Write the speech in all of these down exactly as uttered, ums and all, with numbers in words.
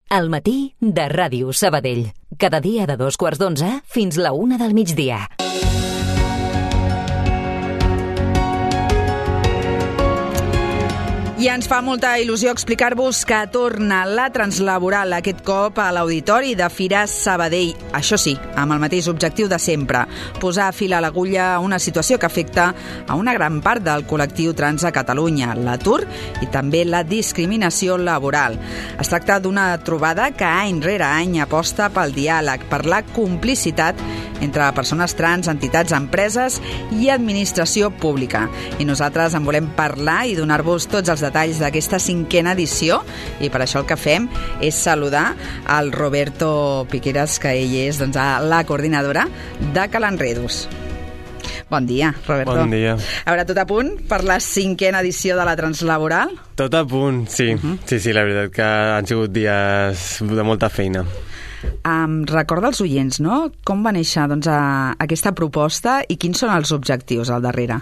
al matí de Ràdio Sabadell. Cada dia de dos quarts d'onze fins la una del migdia. I ens fa molta il·lusió explicar-vos que torna la Translaboral aquest cop a l'Auditori de Fira Sabadell. Això sí, amb el mateix objectiu de sempre, posar fil a l'agulla a una situació que afecta a una gran part del col·lectiu trans a Catalunya, l'atur i també la discriminació laboral. Es tracta d'una trobada que any rere any aposta pel diàleg, per la complicitat entre persones trans, entitats, empreses i administració pública. I nosaltres en volem parlar i donar-vos tots els detalls d'aquesta cinquena edició, i per això el que fem és saludar al Roberto Piqueras, que ell és doncs, la coordinadora de Calanredus. Bon dia, Roberto. Bon dia. A veure, tot a punt per la cinquena edició de la Translaboral? Tot a punt, sí. Uh-huh. Sí, sí, la veritat que han sigut dies de molta feina. Um, recorda als oients, no?, com va néixer doncs, a, aquesta proposta i quins són els objectius al darrere?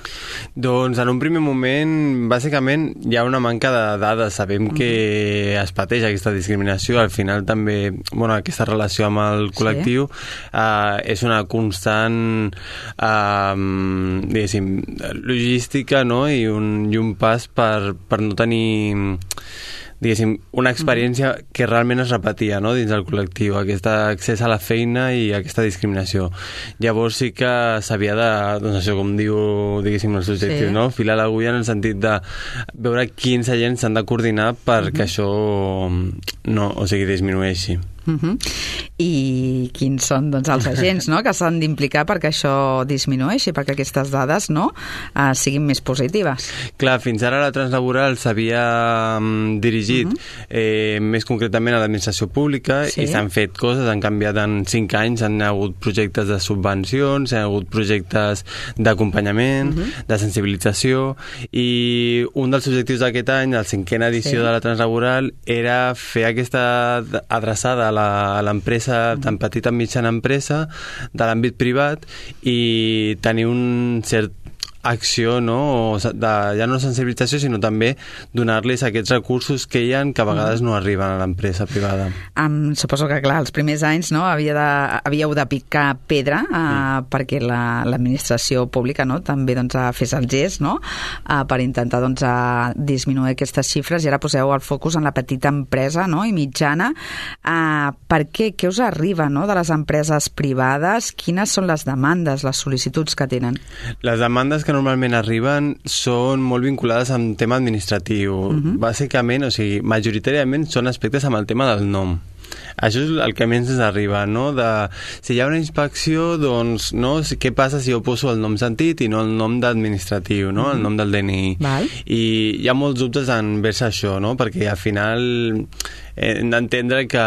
Doncs en un primer moment, bàsicament, hi ha una manca de dades. Sabem uh-huh. que es pateix aquesta discriminació. Al final també, bueno, aquesta relació amb el col·lectiu sí. uh, és una constant uh, diguéssim, logística, no?, i un, i un pas per, per no tenir... diguéssim, una experiència que realment es repetia, no?, dins del col·lectiu, aquest accés a la feina i aquesta discriminació. Llavors sí que s'havia de, doncs això, com diu, diguéssim, els objectius, sí. no?, filar l'agulla en el sentit de veure quins agents s'han de coordinar perquè uh-huh. això no, o sigui, disminueixi. Uh-huh. I quins són doncs, els agents no? que s'han d'implicar perquè això disminueixi, perquè aquestes dades no? uh, siguin més positives? Clar, fins ara la Translaboral s'havia um, dirigit uh-huh. eh, més concretament a l'administració pública sí. i s'han fet coses, han canviat en cinc anys, han hagut projectes de subvencions, han hagut projectes d'acompanyament, uh-huh. de sensibilització, i un dels objectius d'aquest any, la cinquena edició sí. de la Translaboral, era fer aquesta adreçada a a l'empresa, tan petita mitjana empresa, de l'àmbit privat, i tenir un cert acció, no? De, ja no sensibilització, sinó també donar-los aquests recursos que hi ha que a vegades no arriben a l'empresa privada. Um, suposo que, clar, els primers anys no, havia de, havíeu de picar pedra uh, mm. perquè la, l'administració pública no, també doncs, fes el gest no, uh, per intentar doncs, uh, disminuir aquestes xifres, i ara poseu el focus en la petita empresa no, i mitjana. Uh, per què? Què us arriba no, de les empreses privades? Quines són les demandes, les sol·licituds que tenen? Les demandes que normalment arriben són molt vinculades amb tema administratiu. Uh-huh. Bàsicament, o sigui, majoritàriament són aspectes amb el tema del nom. Això és el que menys ens arriba, no? De, si hi ha una inspecció, doncs, no? Què passa si jo poso el nom sentit i no el nom d'administratiu, no? El nom del D N I. Val. I hi ha molts dubtes envers això, no? Perquè al final hem d'entendre que,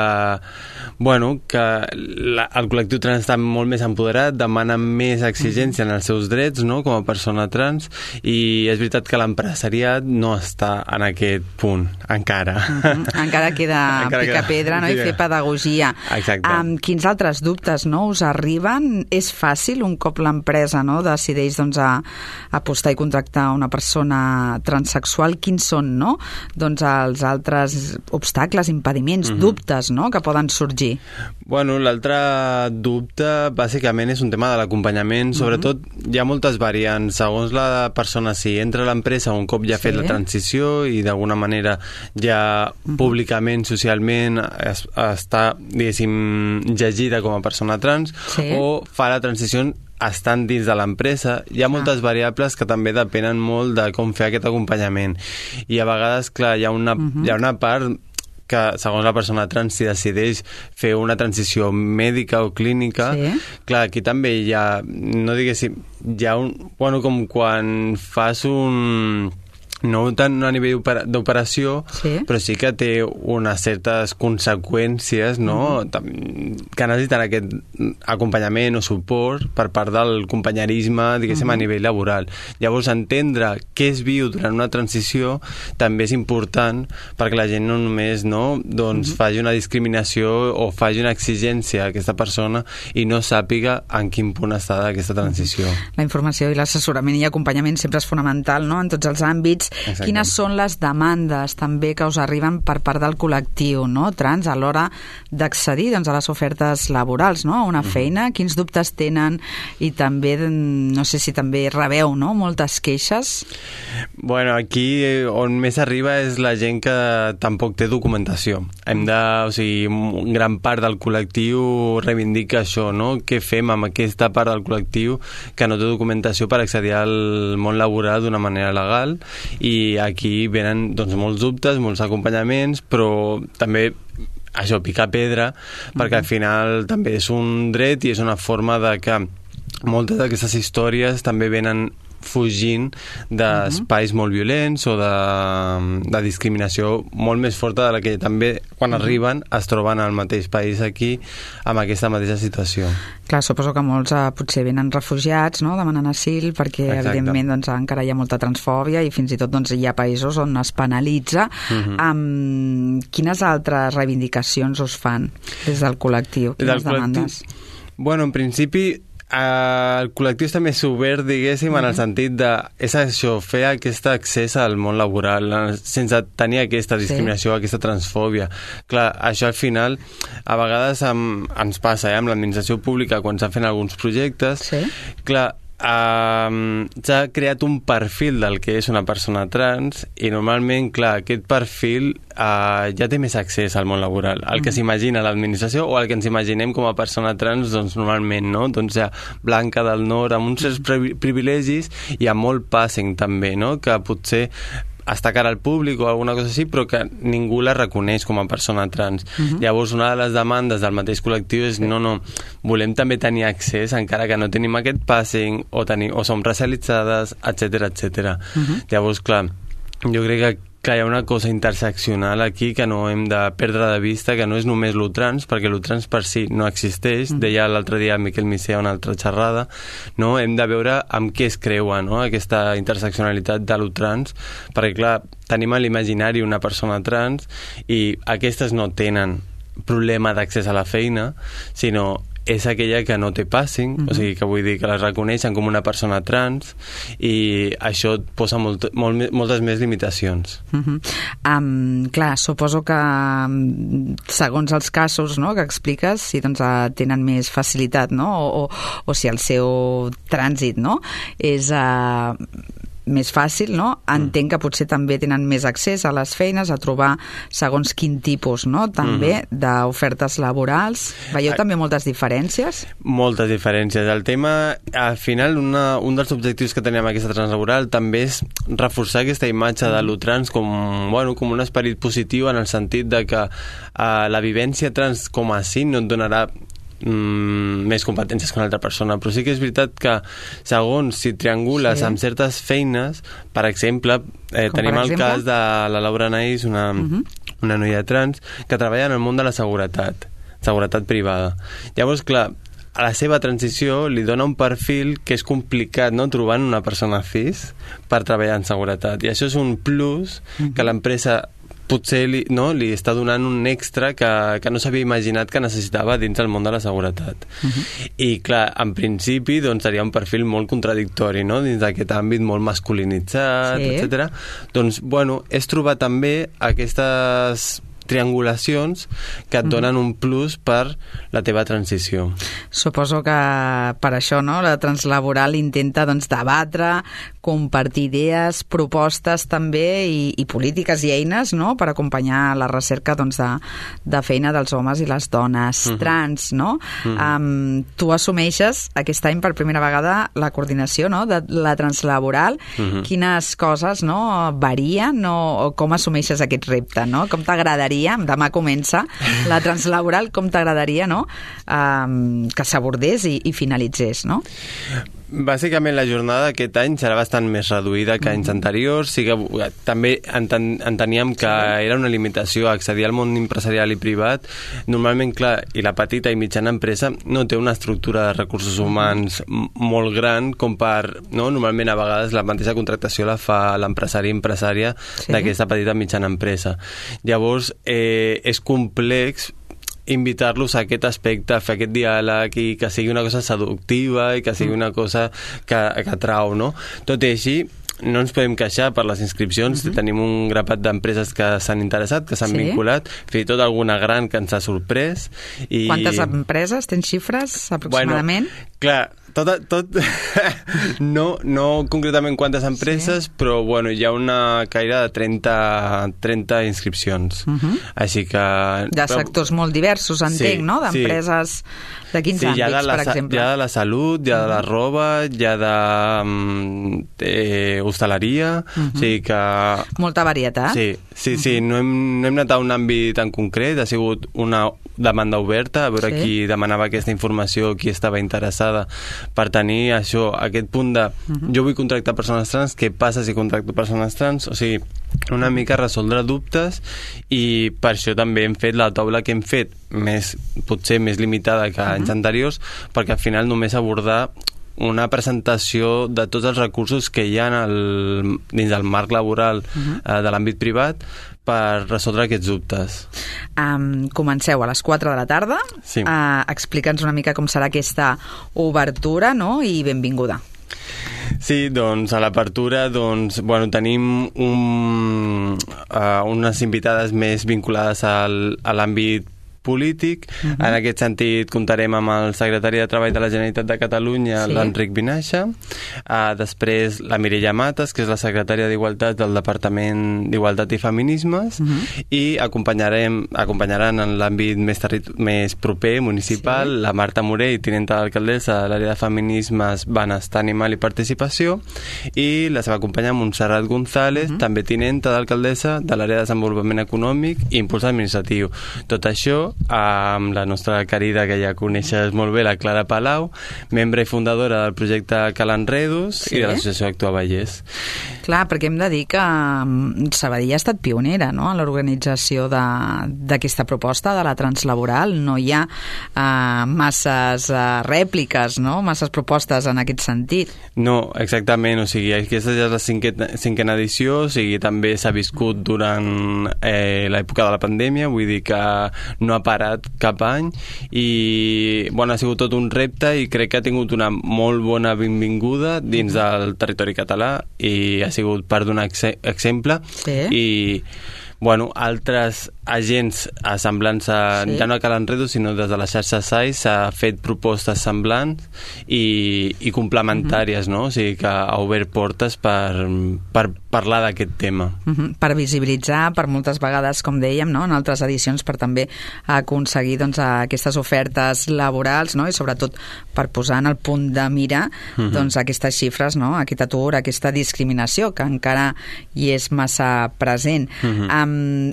bueno, que la, el col·lectiu trans està molt més empoderat, demana més exigència en els seus drets, no?, com a persona trans, i és veritat que l'empresariat no està en aquest punt, encara. Uh-huh. Encara queda encara picar queda, pedra, no?, i fer pedagogia. Exacte. Um, quins altres dubtes, no?, us arriben? És fàcil, un cop l'empresa, no?, decideix, doncs, a, a apostar i contractar una persona transsexual? Quins són, no?, doncs, els altres obstacles, impediments, uh-huh. dubtes, no?, que poden sorgir? Bueno, l'altre dubte bàsicament és un tema de l'acompanyament. Sobretot hi ha moltes variants segons la persona, si entra a l'empresa un cop ja ha sí. fet la transició i d'alguna manera ja uh-huh. públicament, socialment es, està, diguéssim, llegida com a persona trans sí. o fa la transició estan dins de l'empresa. Hi ha moltes ah. variables que també depenen molt de com fer aquest acompanyament, i a vegades, clar, hi ha una, uh-huh. hi ha una part que segons la persona trans, si decideix fer una transició mèdica o clínica, sí. clar, aquí també hi ha, no diguéssim, hi ha un, bueno, com quan fas un... no tant a nivell d'operació, sí. però sí que té unes certes conseqüències, no? Mm. que necessiten aquest acompanyament o suport per part del companyerisme, diguéssim, mm. a nivell laboral. Llavors, entendre què es viu durant una transició també és important perquè la gent no només no, doncs, mm. faci una discriminació o faci una exigència a aquesta persona i no sàpiga en quin punt està d'aquesta transició. La informació i l'assessorament i acompanyament sempre és fonamental, no?, en tots els àmbits. Exacte. Quines són les demandes també que us arriben per part del col·lectiu, no? Trans a l'hora d'accedir, doncs, a les ofertes laborals, no? A una feina, quins dubtes tenen i també, no sé si també rebeu, no? Moltes queixes. Bueno, aquí on més arriba és la gent que tampoc té documentació. Hem de, o sigui, gran part del col·lectiu reivindica això, no? Què fem amb aquesta part del col·lectiu que no té documentació per accedir al món laboral d'una manera legal, i aquí venen, doncs, molts dubtes, molts acompanyaments, però també això, picar pedra, perquè al final també és un dret i és una forma de que moltes d'aquestes històries també venen fugint d'espais molt violents o de, de discriminació molt més forta de la que també quan arriben es troben al mateix país aquí amb aquesta mateixa situació. Clar, suposo que molts eh, potser venen refugiats, no?, demanant asil, perquè Exacte. evidentment doncs, encara hi ha molta transfòbia i fins i tot doncs, hi ha països on es penalitza. Uh-huh. um, quines altres reivindicacions us fan des del col·lectiu? Quines del demandes? Col·lectiu? Bueno, en principi el col·lectiu està més obert, diguéssim, en el sentit de és això, fer aquest accés al món laboral sense tenir aquesta discriminació, sí. aquesta transfòbia. Clar, això al final a vegades amb, ens passa eh, amb l'administració pública quan s'han fet alguns projectes. Sí. Clar, Uh, s'ha creat un perfil del que és una persona trans i normalment, clar, aquest perfil uh, ja té més accés al món laboral. El que s'imagina l'administració o el que ens imaginem com a persona trans, doncs normalment, no? Doncs ja blanca del nord, amb uns certs privilegis i amb molt passing també, no? Que potser està cara al públic o alguna cosa així, però que ningú la reconeix com a persona trans. Uh-huh. Llavors, una de les demandes del mateix col·lectiu és no, no, volem també tenir accés, encara que no tenim aquest passing, o, tenir, o som racialitzades, etcètera, etcètera. Uh-huh. Llavors, clar, jo crec que que hi ha una cosa interseccional aquí que no hem de perdre de vista, que no és només lo trans, perquè lo trans per si no existeix. Mm. Deia l'altre dia Miquel Micea una altra xerrada, no? Hem de veure amb què es creua, no?, aquesta interseccionalitat de lo trans, perquè clar, tenim a l'imaginari una persona trans i aquestes no tenen problema d'accés a la feina, sinó és aquella que no té passing, uh-huh. o sigui, que vull dir que les reconeixen com una persona trans i això et posa molt, molt, moltes més limitacions. Uh-huh. Um, clar, suposo que segons els casos, no?, que expliques, si doncs, tenen més facilitat, no?, o, o, o si el seu trànsit, no?, és uh, més fàcil, no? Entenc mm. que potser també tenen més accés a les feines, a trobar segons quin tipus, no?, també mm-hmm. d'ofertes laborals. Veieu a... també moltes diferències? Moltes diferències. El tema, al final, una, un dels objectius que tenim amb aquesta translaboral també és reforçar aquesta imatge mm. de lo trans com, bueno, com un esperit positiu, en el sentit de que uh, la vivència trans com a sí no et donarà Mm, més competències que una altra persona, però sí que és veritat que segons si triangules sí. amb certes feines, per exemple, eh, tenim per exemple? el cas de la Laura Naís, una, uh-huh. una noia trans que treballa en el món de la seguretat seguretat privada. Llavors, clar, a la seva transició li dona un perfil que és complicat, no?, trobant una persona cis per treballar en seguretat, i això és un plus uh-huh. que l'empresa potser li, no, li està donant un extra que, que no s'havia imaginat que necessitava dins del món de la seguretat. Uh-huh. I, clar, en principi doncs, seria un perfil molt contradictori, no?, dins d'aquest àmbit molt masculinitzat, sí. etcètera. Doncs, bueno, és trobar també aquestes triangulacions que et donen un plus per la teva transició. Suposo que per això, no?, la translaboral intenta doncs, debatre, compartir idees, propostes també i, i polítiques i eines, no?, per acompanyar la recerca doncs, de, de feina dels homes i les dones uh-huh. trans, no? Uh-huh. Um, tu assumeixes aquest any per primera vegada la coordinació, no?, de la translaboral. Uh-huh. Quines coses, no?, varien, no? O com assumeixes aquest repte, no? Com t'agradaria, demà comença la translaboral, com t'agradaria, no?, um, que s'abordés i, i finalitzés, no? Bàsicament la jornada aquest any serà bastant més reduïda que anys anteriors. Sí que també enten, enteníem que era una limitació accedir al món empresarial i privat. Normalment, clar, i la petita i mitjana empresa no té una estructura de recursos humans molt gran com per, no? Normalment a vegades la mateixa contractació la fa l'empresari i empresària sí. d'aquesta petita i mitjana empresa. Llavors, eh, és complex invitar-los a aquest aspecte, a fer aquest diàleg i que sigui una cosa seductiva i que sigui una cosa que, que atrau, no? Tot i així, no ens podem queixar per les inscripcions, uh-huh. tenim un grapat d'empreses que s'han interessat, que s'han sí. vinculat, fins i tot alguna gran que ens ha sorprès. I... Quantes empreses? Tens xifres aproximadament? Bueno, clar, tot, tot no, no concretament quantes empreses, sí. però bueno, hi ha una caire de trenta, trenta inscripcions. Uh-huh. Així que... De sectors molt diversos, entenc, sí, no? D'empreses sí. de quins sí, àmbits, la, per exemple? Hi ha de la salut, hi ha de la roba, hi ha de eh, hostaleria, uh-huh. o sigui que... Molta varietat. Sí, sí, uh-huh. sí, no hem, no hem anat a un àmbit en concret, ha sigut una demanda oberta, a veure sí. qui demanava aquesta informació, qui estava interessada per tenir això, aquest punt de uh-huh. jo vull contractar persones trans, què passa si contracto persones trans? O sigui, una mica resoldre dubtes, i per això també hem fet la taula que hem fet, més, potser més limitada que uh-huh. anys anteriors, perquè al final només abordar una presentació de tots els recursos que hi ha en el, dins del marc laboral uh-huh. eh, de l'àmbit privat per resoldre aquests dubtes. Um, comenceu a les quatre de la tarda. Sí. Uh, explica'ns una mica com serà aquesta obertura, no? I benvinguda. Sí, doncs a l'apertura doncs, bueno, tenim un, uh, unes invitades més vinculades al, a l'àmbit polític. Uh-huh. En aquest sentit comptarem amb el secretari de Treball de la Generalitat de Catalunya, sí. l'Enric Vinaixa, uh, després la Mireia Mates, que és la secretària d'Igualtat del Departament d'Igualtat i Feminismes, uh-huh. i acompanyarem, acompanyaran en l'àmbit més, territ- més proper, municipal, sí. la Marta Morell, tinenta d'alcaldessa de l'àrea de Feminismes, Benestar Animal i Participació, i la seva companya Montserrat González, uh-huh. també tinenta d'alcaldessa de l'àrea de Desenvolupament Econòmic i Impuls Administratiu. Tot això amb la nostra querida, que ja coneixes molt bé, la Clara Palau, membre i fundadora del projecte Calanredos sí. i de l'associació Actua Vallès. Clar, perquè hem de dir que Sabadell ha estat pionera, no?, en l'organització d'aquesta proposta de la translaboral. No hi ha uh, masses uh, rèpliques, no?, masses propostes en aquest sentit. No, exactament, o sigui, aquesta ja és la cinquena, cinquena edició, o sigui, també s'ha viscut durant eh, l'època de la pandèmia, vull dir que no ha parat cap any, i bueno, ha sigut tot un repte, i crec que ha tingut una molt bona benvinguda dins del territori català, i ha sigut per donar ex- exemple sí. i bueno, altres agents semblants a, sí. ja no a Calanredos, sinó des de la xarxa S A I s'ha fet propostes semblants i, i complementàries, uh-huh. no? O sigui que ha obert portes per, per parlar d'aquest tema. Uh-huh. Per visibilitzar, per moltes vegades, com dèiem, no?, en altres edicions, per també aconseguir doncs, aquestes ofertes laborals, no?, i sobretot per posar en el punt de mira uh-huh. doncs, aquestes xifres, no?, aquest atur, aquesta discriminació que encara hi és massa present. Uh-huh. Um,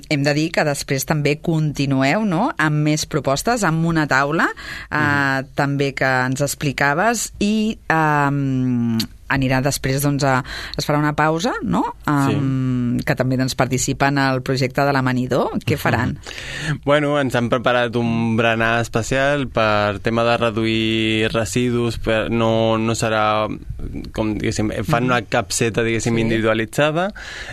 hem de dir que després també continueu, no?, amb més propostes, amb una taula eh, uh-huh. també que ens explicaves, i eh, anirà després, doncs, a, es farà una pausa, no?, um, sí. que també doncs, participa en el projecte de l'Amanidor. Què faran? Uh-huh. Bueno, ens han preparat un berenar especial per tema de reduir residus, per, no, no serà com, diguéssim, fan una capseta, diguéssim, sí. individualitzada,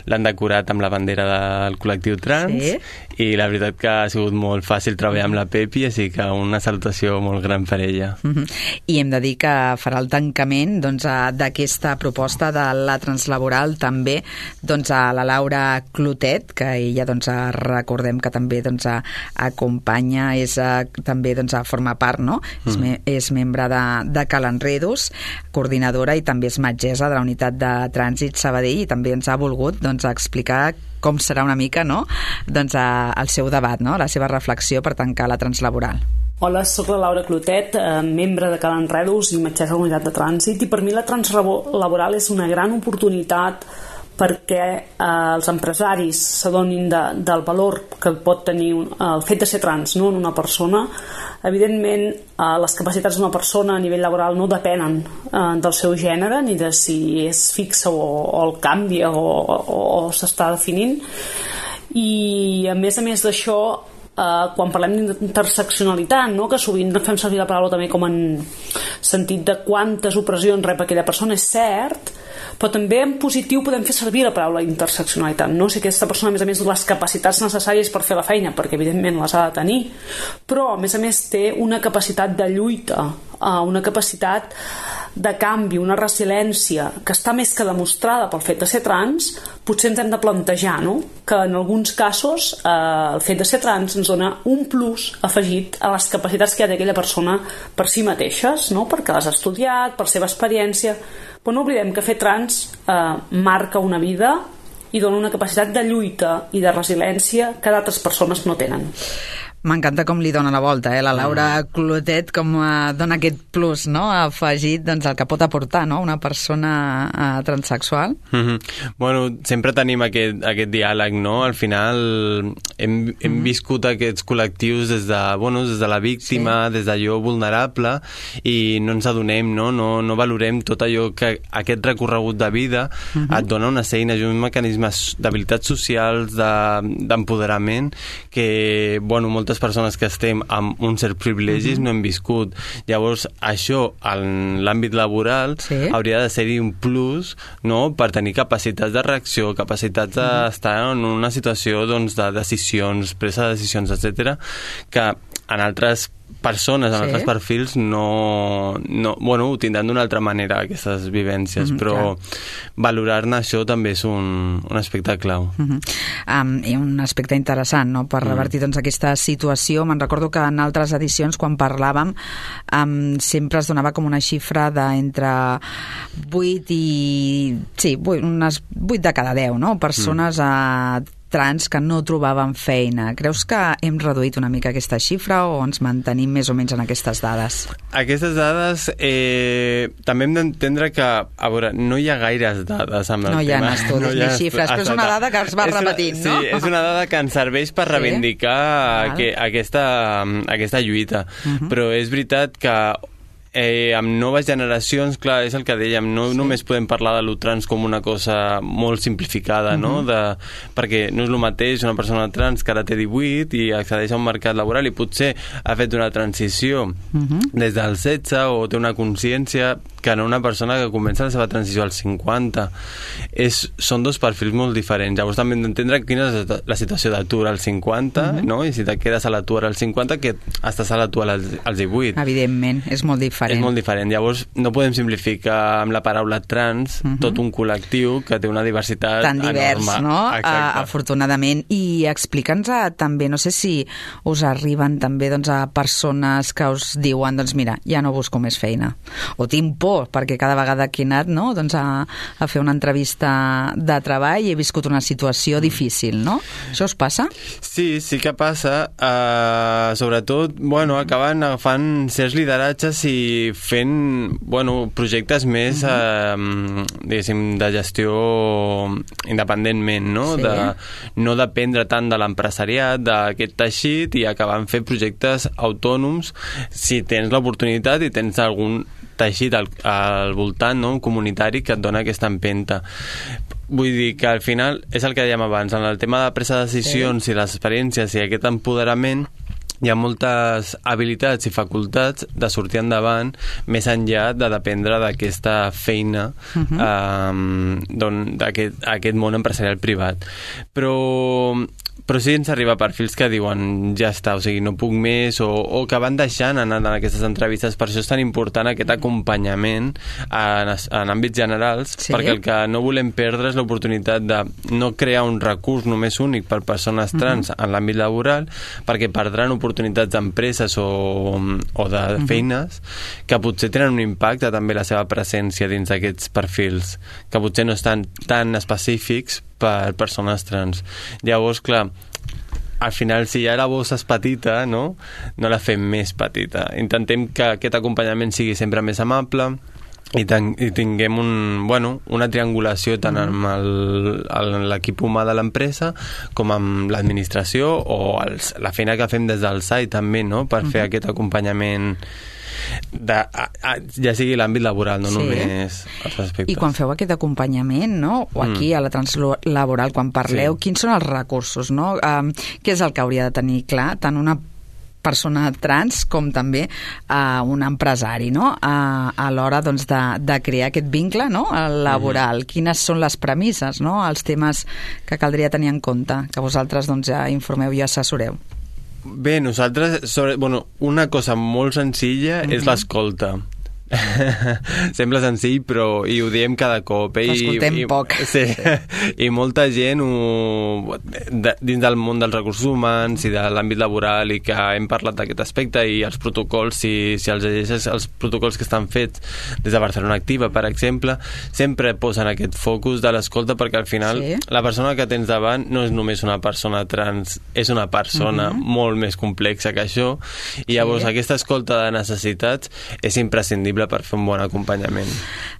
l'han decorat amb la bandera del col·lectiu trans, sí. i la veritat que ha sigut molt fàcil treballar amb la Pepi, així que una salutació molt gran per ella. Uh-huh. I hem de dir que farà el tancament, doncs, d'aquest aquesta proposta de la translaboral també, doncs, a la Laura Clotet, que ella, doncs, recordem que també, doncs, acompanya, és també, doncs, forma part, no? Mm. És, me, és membre de, de Calanredos, coordinadora, i també és metgessa de la unitat de trànsit Sabadell, i també ens ha volgut, doncs, explicar com serà una mica, no?, doncs, el seu debat, no?, la seva reflexió per tancar la translaboral. Hola, soc la Laura Clotet, eh, membre de Calanredos i metgessa de la unitat de trànsit, i per mi la translaboral és una gran oportunitat perquè eh, els empresaris s'adonin de, del valor que pot tenir un, el fet de ser trans, no?, en una persona. Evidentment, eh, les capacitats d'una persona a nivell laboral no depenen eh, del seu gènere, ni de si és fixa o, o el canvia o, o, o s'està definint. I a més a més d'això, Uh, quan parlem d'interseccionalitat, no?, que sovint fem servir la paraula també com en sentit de quantes opressions rep aquella persona, és cert, però també en positiu podem fer servir la paraula interseccionalitat, no? Si aquesta persona, a més a més, les capacitats necessàries per fer la feina, perquè evidentment les ha de tenir, però a més a més té una capacitat de lluita, uh, una capacitat de canvi, una resiliència que està més que demostrada pel fet de ser trans, potser ens hem de plantejar, no?, que en alguns casos eh, el fet de ser trans ens dona un plus afegit a les capacitats que ha d'aquella persona per si mateixes, no?, perquè les ha estudiat, per seva experiència. Però no oblidem que fer trans eh, marca una vida i dona una capacitat de lluita i de resiliència que d'altres persones no tenen. M'encanta com li dona la volta, eh? La Laura Clotet, com eh, dona aquest plus, no?, afegit, doncs, el que pot aportar, no?, una persona eh, transsexual. Mm-hmm. Bueno, sempre tenim aquest, aquest diàleg, no? Al final hem, hem mm-hmm. viscut aquests col·lectius des de, bueno, des de la víctima, sí. des d'allò vulnerable, i no ens adonem, no? No, no valorem tot allò que aquest recorregut de vida mm-hmm. et dona unes eines i uns mecanismes d'habilitats socials, d'empoderament, de, que, bueno, moltes persones que estem amb un cert privilegis uh-huh. no hem viscut. Llavors, això en l'àmbit laboral sí. hauria de ser-hi un plus, no?, per tenir capacitats de reacció, capacitats uh-huh. d'estar en una situació, doncs, de decisions, presa de decisions, etcètera, que en altres persones, en sí. altres perfils no, no, bueno, ho tindran d'una altra manera aquestes vivències, mm-hmm, però clar. Valorar-ne això també és un, un aspecte clau. Mm-hmm. Um, i un aspecte interessant, no?, per revertir mm. doncs, aquesta situació. Me'n recordo que en altres edicions, quan parlàvem, um, sempre es donava com una xifra d'entre vuit i... sí, vuit, unes vuit de cada deu, no?, persones mm. a trans que no trobaven feina. Creus que hem reduït una mica aquesta xifra o ens mantenim més o menys en aquestes dades? Aquestes dades eh, també hem d'entendre que, a veure, no hi ha gaires dades amb el no tema. No hi ha estudis no hi ha ni xifres, però és una dada que es va és repetint, una, no? Sí, és una dada que ens serveix per reivindicar sí? que, aquesta, aquesta lluita. Uh-huh. Però és veritat que Eh, amb noves generacions, clar, és el que dèiem, no sí. només podem parlar de lo trans com una cosa molt simplificada, uh-huh. no? De, perquè no és el mateix una persona trans que ara té divuit i accedeix a un mercat laboral i potser ha fet una transició uh-huh. des dels setze o té una consciència que no una persona que comença la seva transició als cinquanta. És, són dos perfils molt diferents. Llavors també hem d'entendre quina és la situació d'atur als cinquanta, uh-huh. no? I si te quedes a l'atur als cinquanta, que estàs a l'atur als, als divuit. Evidentment, és molt diferent. És molt diferent. Llavors, no podem simplificar amb la paraula trans uh-huh. tot un col·lectiu que té una diversitat tan divers, enorme. No? Uh, afortunadament. I explica'ns uh, també, no sé si us arriben també doncs, a persones que us diuen, doncs mira, ja no busco més feina. O tinc por, perquè cada vegada que he anat no? doncs a, a fer una entrevista de treball i he viscut una situació difícil, no? Això us passa? Sí, sí que passa. Uh, sobretot, bueno, acaben agafant certs lideratges i fent, bueno, projectes més, uh-huh. eh, diguéssim, de gestió independentment, no? Sí. De no dependre tant de l'empresariat, d'aquest teixit, i acabant fent projectes autònoms si tens l'oportunitat i tens algun teixit al, al voltant, no? Un comunitari que et dona aquesta empenta. Vull dir que al final és el que dèiem abans, en el tema de presa de decisions sí. i les experiències i aquest empoderament hi ha moltes habilitats i facultats de sortir endavant més enllà de dependre d'aquesta feina uh-huh. eh, d'aquest aquest món empresarial privat. Però però sí ens arriba perfils que diuen ja està, o sigui, no puc més, o, o que van deixant anar en aquestes entrevistes. Per això és tan important aquest acompanyament en, en àmbits generals, sí. perquè el que no volem perdre és l'oportunitat de no crear un recurs només únic per persones trans uh-huh. en l'àmbit laboral, perquè perdran oportunitats d'empreses o, o de uh-huh. feines que potser tenen un impacte també la seva presència dins d'aquests perfils, que potser no estan tan específics per persones trans. Llavors, clar, al final, si ja la bossa és petita, no? No la fem més petita. Intentem que aquest acompanyament sigui sempre més amable i, ten i tinguem un, bueno, una triangulació tant amb l'equip humà de l'empresa com amb l'administració o els, la feina que fem des del S A I també, no? Per fer uh-huh. aquest acompanyament de, a, a, ja sigui l'àmbit laboral, no sí. només els aspectes. I quan feu aquest acompanyament, no? O aquí mm. a la translaboral, quan parleu, sí. quins són els recursos, no? Um, què és el que hauria de tenir clar tant una persona trans com també uh, un empresari, no? Uh, a l'hora doncs, de, de crear aquest vincle, no? laboral. Mm-hmm. Quines són les premisses, no? Els temes que caldria tenir en compte, que vosaltres doncs, ja informeu i assessoreu. Bé, nosaltres, sobre, bueno, una cosa molt senzilla mm-hmm. és l'escolta. Sembla senzill, però i ho diem cada cop. Eh? L'escoltem I, poc. Sí. sí. I molta gent ho, de, dins del món dels recursos humans i de l'àmbit laboral, i que hem parlat d'aquest aspecte, i els protocols, si, si els llegeixes, els protocols que estan fets des de Barcelona Activa, per exemple, sempre posen aquest focus de l'escolta, perquè al final sí. la persona que tens davant no és només una persona trans, és una persona uh-huh. molt més complexa que això, i llavors sí. aquesta escolta de necessitats és imprescindible per fer un bon acompanyament.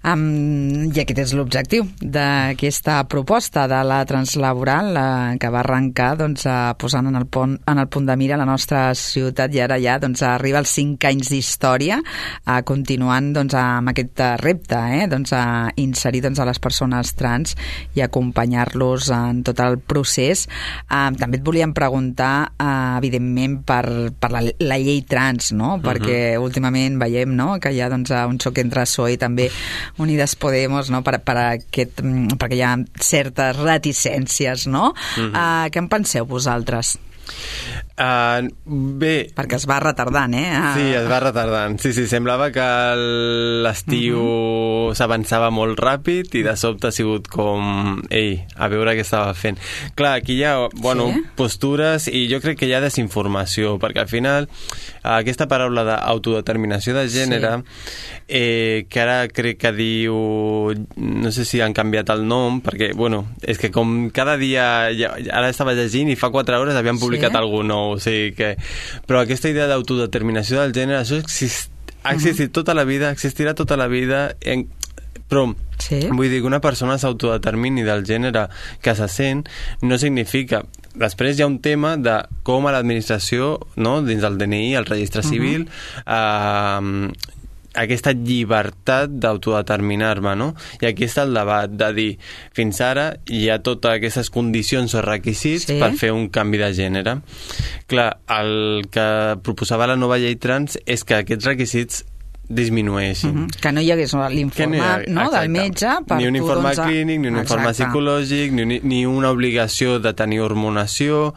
Um, I aquest és l'objectiu d'aquesta proposta de la translaboral, la, que va arrencar doncs, posant en el, pont, en el punt de mira la nostra ciutat, i ara ja doncs, arriba als cinc anys d'història, uh, continuant doncs, amb aquest repte, eh? doncs, a inserir doncs, a les persones trans i acompanyar-los en tot el procés. Uh, també et volíem preguntar, uh, evidentment, per, per la, la llei trans, no? Uh-huh. Perquè últimament veiem, no?, que hi ha doncs, un xoc entre P S O E i també Unides Podemos, no?, per, per aquest, perquè hi ha certes reticències, no? Uh-huh. Uh, què en penseu vosaltres? Uh, bé... Perquè es va retardant, eh? Uh... Sí, es va retardant. Sí, sí, semblava que l'estiu uh-huh. s'avançava molt ràpid i de sobte ha sigut com... Ei, a veure què estava fent. Clar, aquí hi ha, bueno, sí? postures, i jo crec que hi ha desinformació, perquè al final aquesta paraula d'autodeterminació de gènere, sí. eh, que ara crec que diu... No sé si han canviat el nom, perquè, bueno, és que com cada dia... Ara estava llegint i fa quatre hores havien publicat sí? algú nou, o sigui que... Però aquesta idea d'autodeterminació del gènere, això exist... ha existit uh-huh. tota la vida, existirà tota la vida, en... però sí? vull dir que una persona s'autodetermini del gènere que se sent no significa... Després hi ha un tema de com a l'administració, no?, dins del D N I, el registre civil, uh-huh. eh, aquesta llibertat d'autodeterminar-me, no? I aquí està el debat de dir, fins ara hi ha totes aquestes condicions o requisits sí? per fer un canvi de gènere. Clar, el que proposava la nova llei trans és que aquests requisits disminueixin. Uh-huh. Que no hi hagués l'informe no, no, del metge per ni un informe doncs, clínic, ni un informe exacte. psicològic, ni, ni una obligació de tenir hormonació,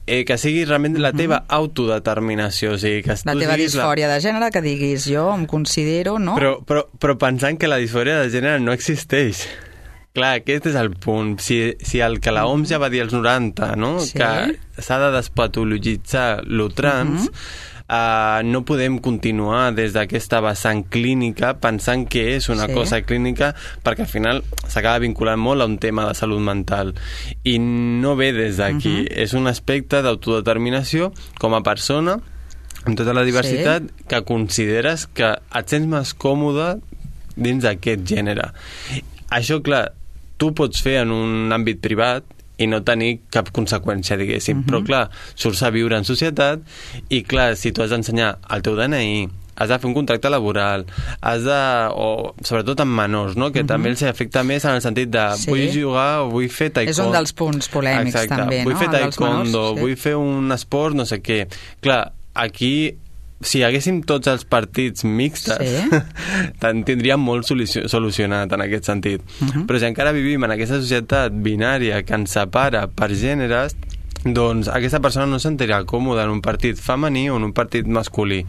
eh, que sigui realment la teva uh-huh. autodeterminació, o sigui, que la teva disfòria la... de gènere, que diguis jo em considero, no? Però, però, però pensant que la disfòria de gènere no existeix. Clar, aquest és el punt. Si, si el que la O M S ja va dir als noranta, no? Sí? Que s'ha de despatologitzar lo trans, uh-huh. Uh, no podem continuar des d'aquesta vessant clínica pensant que és una sí. cosa clínica, perquè al final s'acaba vinculant molt a un tema de salut mental, i no ve des d'aquí. Uh-huh. És un aspecte d'autodeterminació com a persona amb tota la diversitat sí. que consideres que et sents més còmode dins d'aquest gènere. Això, clar, tu pots fer en un àmbit privat i no tenir cap conseqüència, diguéssim. Uh-huh. Però, clar, surts a viure en societat i, clar, si tu has d'ensenyar el teu D N I, has de fer un contracte laboral, has de... o sobretot amb menors, no?, que uh-huh. també els afecta més en el sentit de sí. vull jugar o vull fer taekwondo. És un dels punts polèmics, exacte. també, vull no? Vull fer taekwondo, menors, sí. vull fer un esport, no sé què. Clar, aquí... si haguéssim tots els partits mixtes, sí. tindríem molt solucionat en aquest sentit. Uh-huh. Però si encara vivim en aquesta societat binària que ens separa per gèneres, doncs aquesta persona no sentirà còmoda en un partit femení o en un partit masculí.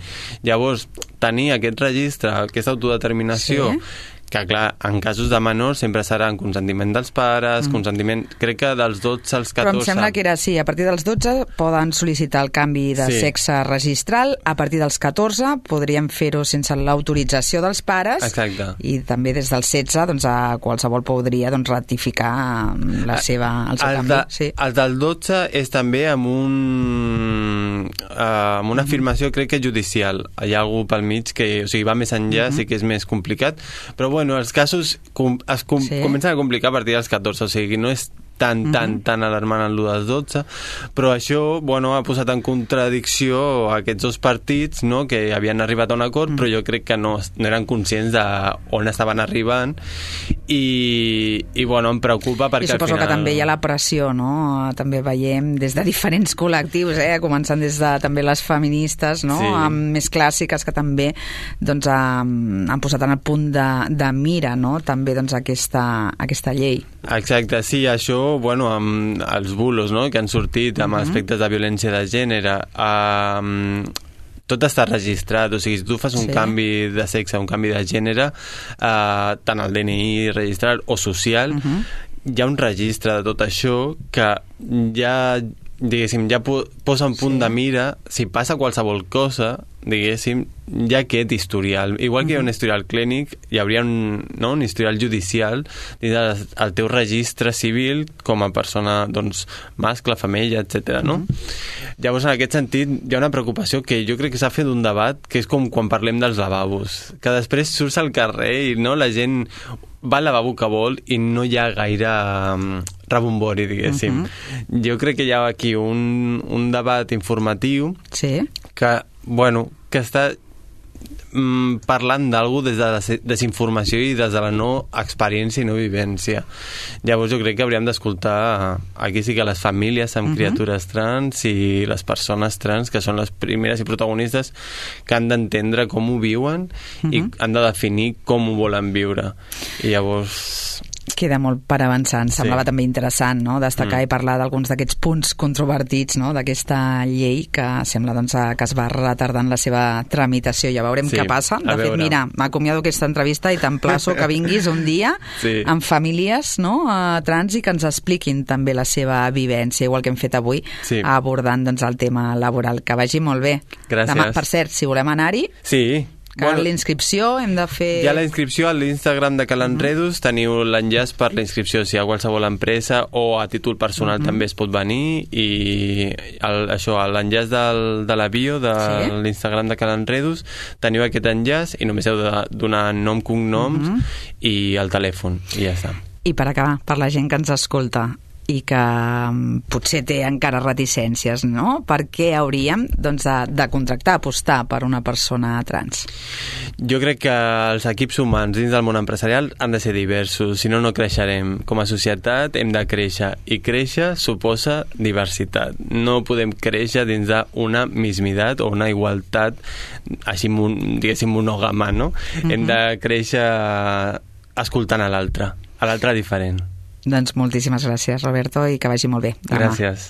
Llavors, tenir aquest registre, aquesta autodeterminació, sí. que clar, en casos de menors sempre serà en consentiment dels pares, mm. consentiment, crec que dels dotze als catorze. Però em sembla que era així, a partir dels dotze poden sol·licitar el canvi de sí. sexe registral, a partir dels catorze podríem fer-ho sense l'autorització dels pares. Exacte. I també des dels setze doncs, a qualsevol podria doncs, ratificar la seva, el seu el canvi. De, sí. El del dotze és també amb un uh, amb una afirmació, crec que judicial. Hi ha algú pel mig que, o sigui, va més enllà, mm-hmm. sí que és més complicat, però bueno, els casos com, es com, sí. comencen a complicar a partir dels catorze, o sigui, no és tan, tan, mm-hmm. tan alarmant en l'u dels dotze, però això, bueno, ha posat en contradicció aquests dos partits, no?, que havien arribat a un acord, mm-hmm. però jo crec que no, no eren conscients d'on estaven arribant, i, i bueno, em preocupa perquè I suposo al final... que també hi ha la pressió, no?, també veiem des de diferents col·lectius, eh?, començant des de també les feministes, no?, sí. amb més clàssiques que també doncs, han, han posat en el punt de, de mira, no?, també doncs, aquesta, aquesta llei. Exacte, sí, això bueno, amb els bulos, no?, que han sortit amb uh-huh. aspectes de violència de gènere, um, tot està registrat, o sigui, si tu fas un sí. canvi de sexe, un canvi de gènere, eh, tant el D N I registrat o social, uh-huh. hi ha un registre de tot això que ja, diguéssim, ja po posa en punt sí. de mira, si passa qualsevol cosa, diguéssim, hi ha aquest historial. Igual que hi ha un historial clínic, hi hauria un, no, un historial judicial dins del teu registre civil com a persona, doncs, mascle, femella, etcètera, no? Mm-hmm. Llavors, en aquest sentit, hi ha una preocupació que jo crec que s'ha fet un debat, que és com quan parlem dels lavabos, que després surts al carrer i no, la gent va al lavabo que vol i no hi ha gaire um, rebombori, diguéssim. Mm-hmm. Jo crec que hi ha aquí un, un debat informatiu sí. que, bueno, que està mm, parlant d'algú des de la desinformació i des de la no experiència i no vivència. Llavors jo crec que hauríem d'escoltar aquí sí que les famílies amb uh-huh. criatures trans i les persones trans, que són les primeres i protagonistes, que han d'entendre com ho viuen uh-huh. i han de definir com ho volen viure. I llavors... Queda molt per avançar. Em semblava sí. també interessant, no?, destacar mm. i parlar d'alguns d'aquests punts controvertits, no?, d'aquesta llei que sembla doncs, que es va retardant la seva tramitació. Ja veurem sí, què passa. De fet, mira, m'acomiado aquesta entrevista i t'emplaço que vinguis un dia sí. amb famílies, no?, trans i que ens expliquin també la seva vivència, igual que hem fet avui, sí. abordant doncs, el tema laboral. Que vagi molt bé. Gràcies. Demà, per cert, si volem anar-hi... Sí. Cal bueno, la inscripció, hem de fer... Hi ha la inscripció a l'Instagram de Cal Enredus, uh-huh. teniu l'enllaç per la inscripció, si hi ha qualsevol empresa o a títol personal uh-huh. també es pot venir, i el, això, l'enllaç de la bio de sí? l'Instagram de Cal Enredus, teniu aquest enllaç i només heu de donar nom, cognoms uh-huh. i el telèfon, i ja està. I per acabar, per la gent que ens escolta i que potser té encara reticències, no? Per què hauríem doncs, de, de contractar, apostar per una persona trans? Jo crec que els equips humans dins del món empresarial han de ser diversos, si no, no creixerem. Com a societat hem de créixer, i créixer suposa diversitat. No podem créixer dins d'una mismitat o una igualtat així, diguéssim, monògama, no? Mm-hmm. Hem de créixer escoltant a l'altre, a l'altre diferent. Doncs moltíssimes gràcies, Roberto, i que vagi molt bé demà. Gràcies.